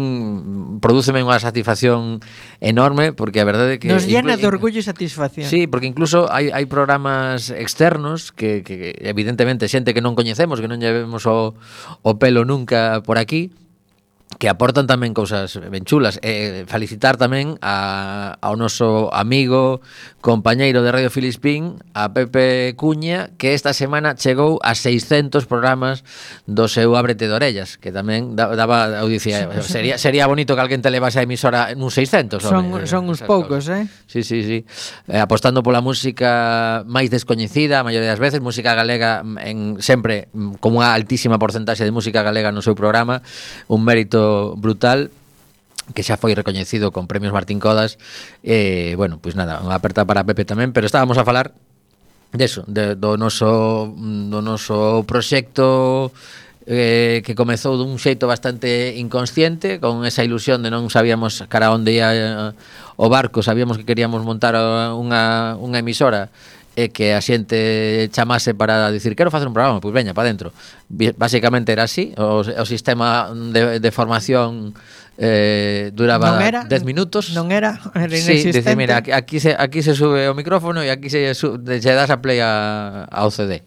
prodúceme unha satisfacción enorme, porque a verdade é que nos llena inclu- de orgullo e satisfacción. Sí, porque incluso hai, hai programas externos que, que evidentemente xente que non coñecemos, que non llevemos o, o pelo nunca por aquí, que aportan tamén cousas ben chulas. E felicitar tamén a, ao noso amigo, compañeiro de Radio Filispín, a Pepe Cuña, que esta semana chegou a seiscentos programas do seu Ábrete de Orellas, que tamén daba audiencia. Sería, sería bonito que alguén te levase a emisora nun seiscentos. Son, home, son uns esas poucos, cosas. eh? Sí, sí, sí. Eh, apostando pola música máis descoñecida, a maioría das veces, música galega en sempre con unha altísima porcentaxe de música galega no seu programa, un mérito brutal que xa foi recoñecido con premios Martín Codas. E, eh, bueno, pois pues nada, unha aperta para Pepe tamén, pero estábamos a falar deso, de, do noso do noso proxecto eh, que comezou dun xeito bastante inconsciente, con esa ilusión de non sabíamos cara onde ia eh, o barco, sabíamos que queríamos montar unha, unha emisora e que a xente chamase para dicir quero facer un programa, pois veña, para dentro. Básicamente era así, o, o sistema de, de formación eh, duraba dez minutos. Non era, era sí, inexistente. dice, mira, aquí, aquí, se, aquí se sube o micrófono e aquí se, su, se das a play a, ao C D.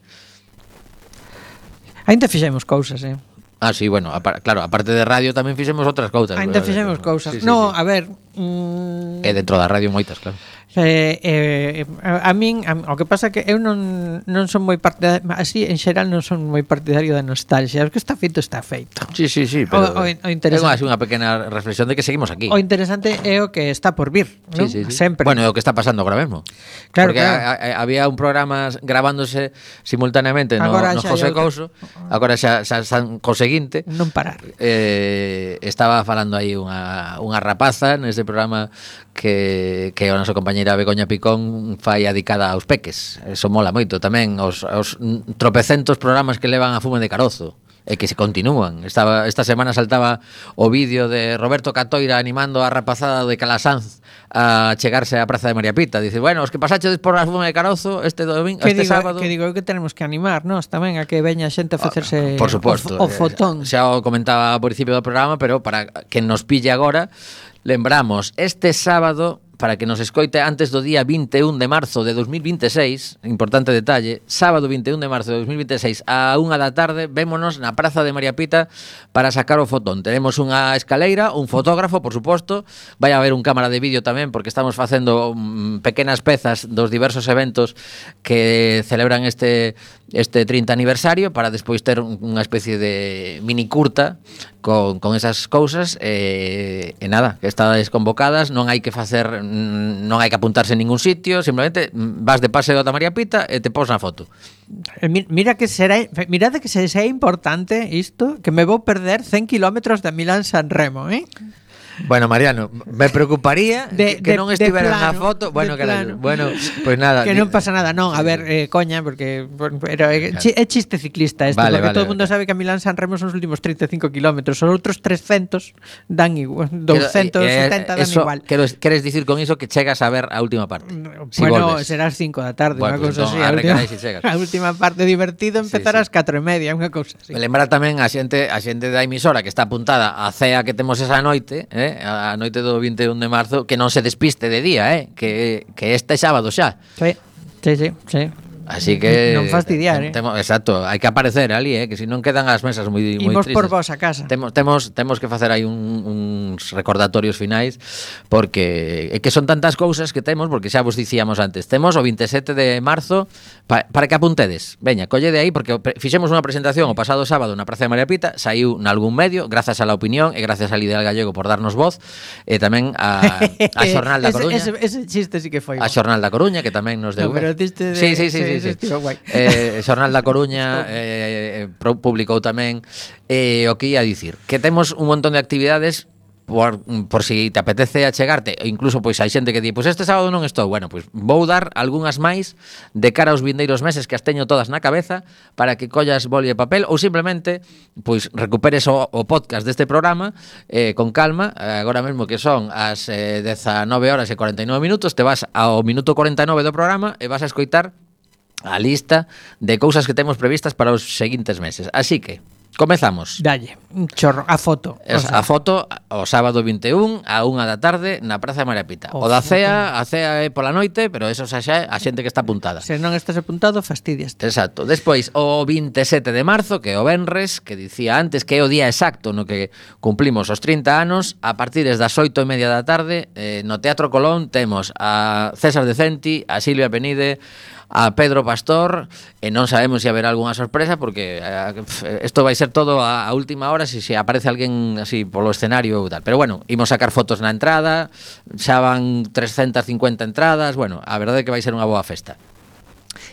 Ainda fixemos cousas, eh? Ah, sí, bueno, a, claro, aparte de radio tamén fixemos outras cousas. Ainda fixemos cousas. Sí, sí, no, sí. a ver... Mm, E dentro da radio moitas, claro. Eh, eh, a, a min a, o que pasa é que eu non, non son moi partidario, así en xeral non son moi partidario da nostalgia. O que está feito está feito. Sí, sí, sí, pero o, o, o interesante, é unha pequena reflexión de que seguimos aquí. O interesante é o que está por vir, ¿no? Sí, sí, sí. Sempre. Bueno, é o que está pasando agora mesmo. Claro, porque claro. A, a, había un programa grabándose simultaneamente no, Agora no xa José hai outra. Couso. Agora xa, xa están co seguinte. Non parar. Eh, estaba falando aí unha, unha rapaza neste programa que, que a nosa compañeira Begoña Picón fai adicada aos peques. Eso mola moito tamén, os, os tropecentos programas que levan a fume de carozo e que se continúan. Estaba, esta semana saltaba o vídeo de Roberto Catoira animando a rapazada de Calasanz a chegarse á Praza de María Pita. Dice, bueno, os que pasachedes por a fume de carozo este domingo, que este digo, sábado... Que digo eu que tenemos que animar, nós tamén a que veña a xente a facerse por suposto, o, o fotón. Xa o comentaba ao principio do programa, pero para que nos pille agora, lembramos, este sábado para que nos escoite antes do día vinte e un de marzo de dos mil vinte e seis, importante detalle, sábado vinte e un de marzo de dos mil vinte e seis a unha da tarde, vémonos na Praza de María Pita para sacar o fotón. Tenemos unha escaleira, un fotógrafo, por suposto, vai haber un cámara de vídeo tamén, porque estamos facendo um, pequenas pezas dos diversos eventos que celebran este este trinta aniversario, para despois ter unha especie de mini curta con, con esas cousas e, e nada, que estades convocadas, non hai que facer, non hai que apuntarse en ningún sitio, simplemente vas de paseo da María Pita e te pos na foto. Mira que será, mirade que se sea importante isto, que me vou perder cen kilómetros de Milán San Remo, eh? Bueno, Mariano, me preocuparía de, que de, non estiveras plano, na foto. Bueno, plano. bueno, pues nada. Que non pasa nada, non, a ver, eh, coña, porque pero é, é chiste ciclista este, vale, porque vale, todo o mundo vale. sabe que a Milán San Remo son os últimos treinta e cinco kilómetros, os outros trescentos dan igual, doscientos setenta dan eso, igual. Quero, queres dicir con iso que chegas a ver a última parte? Si Bueno, volves. será as cinco da tarde, Bueno, unha pues cousa entón, así. A arre, última, carai, si chegas. a última parte divertido empezar Sí, sí. ás catro e media, unha cousa así. Me lembra tamén a xente, a xente da emisora que está apuntada á cea que temos esa noite, eh, a noite do vinte e un de marzo, que non se despiste de día, eh, que, que este sábado xa. Sí, sí, sí, sí. Así que non fastidiar, eh. temo, exacto, hai que aparecer ali, eh, que se non quedan as mesas moi moi Imos tristes. por vos a casa. Temos temos temos que facer aí un, uns recordatorios finais, porque é que son tantas cousas que temos, porque xa vos dicíamos antes. Temos o vinte e sete de marzo pa, para que apuntedes. Veña, collede aí, porque fixemos unha presentación o pasado sábado na Praza de María Pita, saiu nalgún medio, grazas a La Opinión e grazas a Lidia Gallego por darnos voz, e tamén a, a Xornal da Coruña. ese, ese, ese chiste sí que foi. A Xornal da Coruña, que tamén nos deu. No, pero diste de- Sí, sí, sí, sí, ese sí. estivo guai. Eh, Xornal da Coruña eh, eh, publicou tamén eh, o que ia dicir, que temos un montón de actividades por, por si te apetece achegarte, e incluso pois hai xente que di, pois este sábado non estou. Bueno, pois vou dar algunhas máis de cara aos vindeiros meses, que as teño todas na cabeza, para que collas boli e papel, ou simplemente pois recuperes o, o podcast deste programa eh, con calma. eh, agora mesmo que son as eh, dezanove horas e cuarenta e nove minutos, te vas ao minuto cuarenta e nove do programa e vas a escoitar a lista de cousas que temos previstas para os seguintes meses. Así que, comezamos. Dalle, un chorro, a foto. Es, O sea, a foto o sábado vinte e un a unha da tarde na Praza de María Pita. O O da foto. cea, a cea é pola noite, pero eso xa xa é a xente que está apuntada. se non estás apuntado, fastidiaste. Exacto. Despois, o vinte e sete de marzo, que é o venres, que dicía antes que é o día exacto no que cumplimos os trinta anos, a partir das oito e media da tarde, eh, no Teatro Colón temos a César Decenti, a Silvia Penide, a Pedro Pastor, e non sabemos se haberá algunha sorpresa, porque eh, isto vai ser todo a, a última hora, se se aparece alguén así polo escenario ou tal. Pero bueno, imos sacar fotos na entrada, xa van trescentas cincuenta entradas, bueno, a verdade é que vai ser unha boa festa.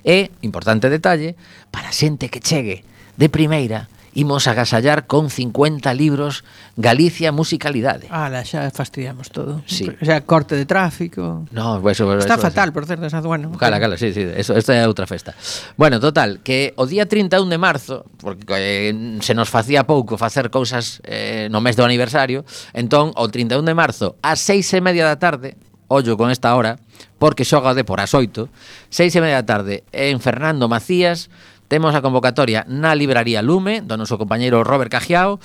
E, importante detalle, para xente que chegue de primeira, imos agasallar con cincuenta libros Galicia Musicalidade. Ala, xa fastidiamos todo. Sí. O sea, corte de tráfico. No, pues eso, Está eso, fatal, por certo, esa bueno. Cala, cala, sí, sí, eso, esta é outra festa. Bueno, total, que o día trinta e un de marzo, porque eh, se nos facía pouco facer cousas eh, no mes do aniversario, entón, o trinta e un de marzo, ás seis e media da tarde, ollo con esta hora, porque xoga de por as oito, seis e media da tarde, en Fernando Macías, temos a convocatoria na Libraría Lume, do noso compañeiro Robert Cajiao,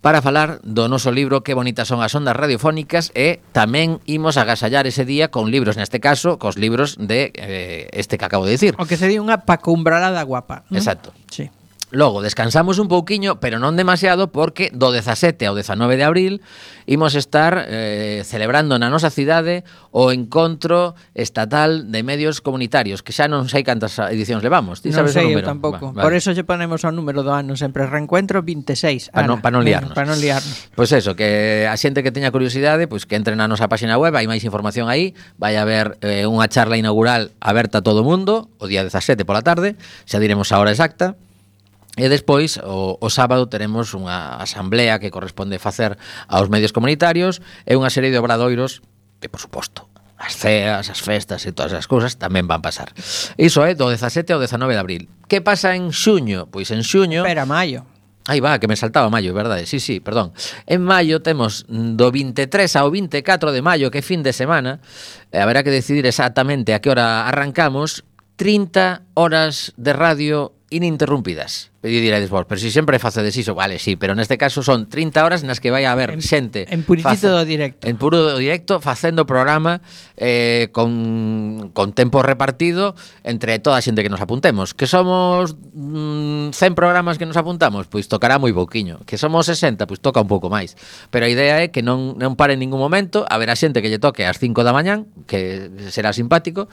para falar do noso libro Que bonitas son as ondas radiofónicas, e tamén imos agasallar ese día con libros, neste caso, cos libros de eh, este que acabo de dicir. O que sería unha pacumbralada guapa, ¿no? Exacto. Sí. Logo, descansamos un pouquiño, pero non demasiado, porque do dezasete ao dezanove de abril imos estar eh, celebrando na nosa cidade o Encontro Estatal de Medios Comunitarios, que xa non sei cantas edicións levamos. Ti Non sabes sei, o eu número? tampouco. Va, Por vale. eso lle ponemos ao número do ano sempre Reencuentro vinte e seis. Pa non- pa non liarnos. Para non liarnos. Pois eso, que a xente que teña curiosidade, pois que entre na nosa página web, hai máis información aí, vai haber eh, unha charla inaugural aberta a todo o mundo, o día dezasete pola tarde, xa diremos a hora exacta. E despois, o, o sábado, teremos unha asamblea que corresponde facer aos medios comunitarios e unha serie de obradoiros que, por suposto, as ceas, as festas e todas as cousas tamén van pasar. Iso é do dezasete ao dezanove de abril. Que pasa en xuño? Pois en xuño... Espera, maio. Aí va, que me saltaba maio, verdade? Sí, sí, perdón. En maio temos do vinte e tres ao vinte e catro de maio, que é fin de semana, e haberá que decidir exactamente a que hora arrancamos, trinta horas de radio ininterrumpidas. E diredes vos, pero si sempre facedes iso, vale, sí, pero neste caso son trinta horas nas que vai a haber En- xente en puritito do directo. En puro directo facendo programa eh, con, con tempo repartido entre toda a xente que nos apuntemos. Que somos mm, cen programas que nos apuntamos, pois tocará moi pouquiño. Que somos sesenta, pois toca un pouco máis. Pero a idea é que non, non pare en ningún momento, haberá xente que lle toque ás cinco da mañán, que será simpático,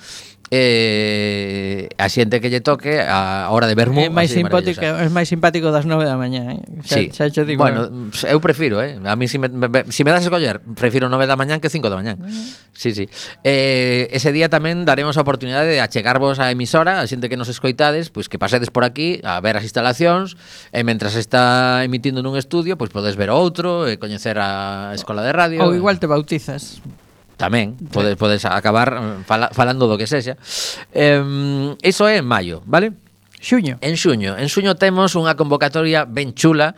e a xente que lle toque a hora de vermú. É máis así de simpático, maravillosa. é máis simpático das nove da mañá, eh? Xa, Sí. xa cho digo. Bueno, eu prefiro, eh. A mí si me, me, si me das a escoller, prefiro nove da mañán que cinco da mañán. Sí, sí. Eh, ese día tamén daremos a oportunidade de achegarvos á emisora, a xente que nos escoitades, pois que pasedes por aquí a ver as instalacións, e mentras está emitindo nun estudio, pois podes ver outro, e coñecer a escola de radio. Ou igual te bautizas. Tamén, podes, podes acabar eh, fala, falando do que sexa. Eh, iso é en maio, vale? Xuño. En xuño, en xuño temos unha convocatoria ben chula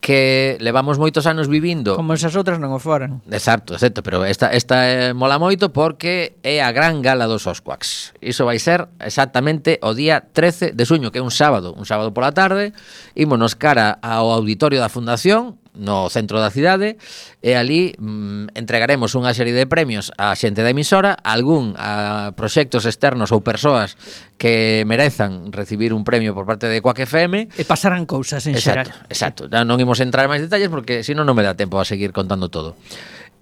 que levamos moitos anos vivindo. Como esas outras non o foran. Exacto, exacto, pero esta, esta eh, mola moito porque é a gran gala dos Osquaks. Iso vai ser exactamente o día trece de xuño, que é un sábado, un sábado pola tarde. Ímonos cara ao auditorio da Fundación, no centro da cidade, e ali mm, entregaremos unha serie de premios á xente da emisora, algún a proxectos externos ou persoas que merezan recibir un premio por parte de Quack F M. E pasarán cousas en Exacto, xeral. exacto. Non imos entrar en máis detalles porque senón non me dá tempo a seguir contando todo.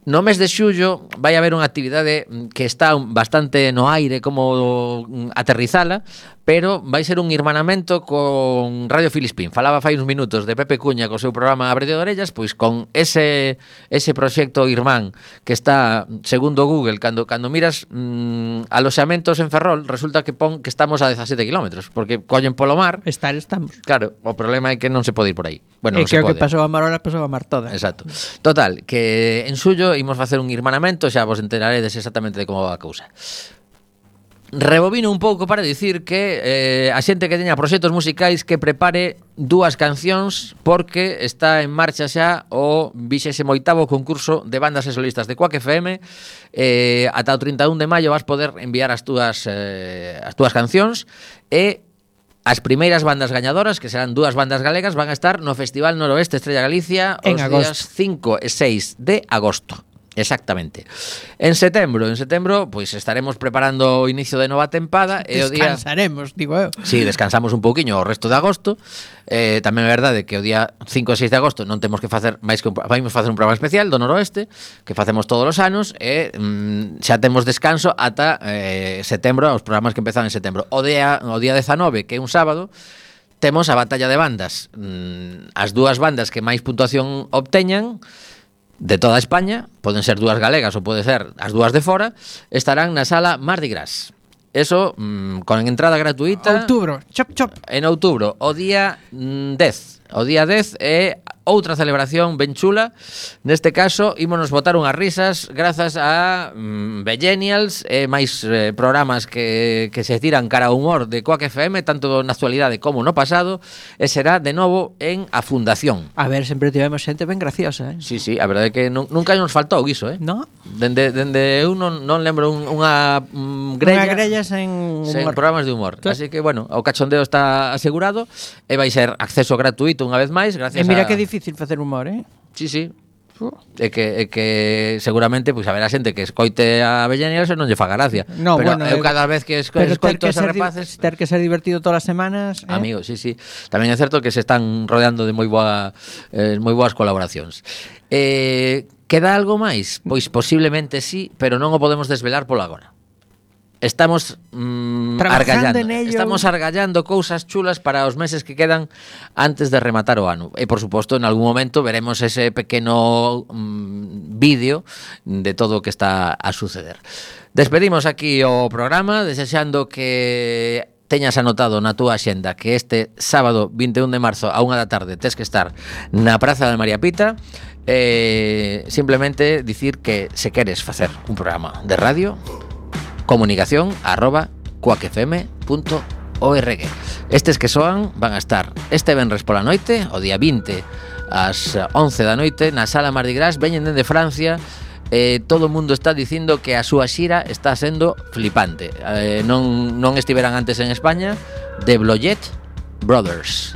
No mes de xullo vai haber unha actividade que está bastante no aire como aterrizala, pero vai ser un irmanamento con Radio Filispín. Falaba fai uns minutos de Pepe Cuña co seu programa Abrete de Orellas, pois con ese ese proxecto irmán que está, segundo Google, cando cando miras mmm, aloxamentos en Ferrol, resulta que pon que estamos a dezasete kilómetros, porque collen polo mar. Estar estamos. Claro, o problema é que non se pode ir por aí. Bueno, E non que se o que pode. pasou a Marola pasou a Mar toda. Exacto. Total, que en xullo imos facer un irmanamento, xa vos enteraredes exactamente de como va a cousa. Rebobino un pouco para dicir que eh, a xente que teña proxectos musicais que prepare dúas cancións porque está en marcha xa o vixésimo oitavo concurso de bandas e solistas de Quack F M. Eh, ata o trinta e un de maio vas poder enviar as túas, eh, as túas cancións e as primeiras bandas gañadoras, que serán dúas bandas galegas, van a estar no Festival Noroeste Estrella Galicia En os agosto. días cinco e seis de agosto. Exactamente. En setembro, en setembro, pois estaremos preparando o inicio de nova tempada e o día Descansaremos, digo eu. Sí, descansamos un pouquiño o resto de agosto. Eh, tamén é verdade que o día cinco e seis de agosto non temos que facer máis que un, vamos facer un programa especial do Noroeste que facemos todos os anos e mm, xa temos descanso ata eh, setembro, os programas que empezan en setembro. O día o día dezanove, que é un sábado, temos a batalla de bandas. Mm, as dúas bandas que máis puntuación obteñan de toda España, poden ser dúas galegas ou pode ser as dúas de fora, estarán na sala Mardi Gras. Eso, mmm, con entrada gratuita. Outubro, chop chop. En outubro, o día mm, dez. O día dez é outra celebración ben chula. Neste caso, ímonos botar unhas risas grazas a mm, Bellenials e máis eh, programas que, que se tiran cara ao humor de Quack F M, tanto na actualidade como no pasado, e será de novo en a Fundación. A ver, sempre tivemos xente ben graciosa, eh? Sí, sí, a verdade é que nun, nunca nos faltou iso, eh? No? Dende, dende eu non, non lembro un, unha mm, grella, Unha grella sen sen humor. programas de humor. Claro. Así que, bueno, o cachondeo está asegurado e vai ser acceso gratuito unha vez máis, gracias E mira a... que difícil facer humor, eh? Sí, sí. É que, é que seguramente pois haberá xente que escoite a Bellenials e non lle faga gracia. No, pero bueno, eu eu- cada vez que esco, Pero ter escoito que, esos ser, di- rapaces... ter que ser divertido todas as semanas, eh? Amigo, sí, sí. Tamén é certo que se están rodeando de moi boa eh, moi boas colaboracións. Eh, queda algo máis? Pois posiblemente sí, pero non o podemos desvelar polo agora. Estamos mm, Trabajando argallando, en ello. estamos argallando cousas chulas para os meses que quedan antes de rematar o ano. E por suposto, en algún momento veremos ese pequeno mm, vídeo de todo o que está a suceder. Despedimos aquí o programa desexando que teñas anotado na túa axenda que este sábado vinte e un de marzo a unha da tarde tes que estar na Praza de María Pita. Eh, simplemente dicir que se queres facer un programa de radio, comunicación arroba quack f m punto org. Estes que soan van a estar este venres pola noite, o día vinte ás once da noite na Sala Mardi Gras. Veñen dende Francia. Eh, todo o mundo está dicindo que a súa xira está sendo flipante. Eh, non, non estiveran antes en España. The Bloyet Brothers.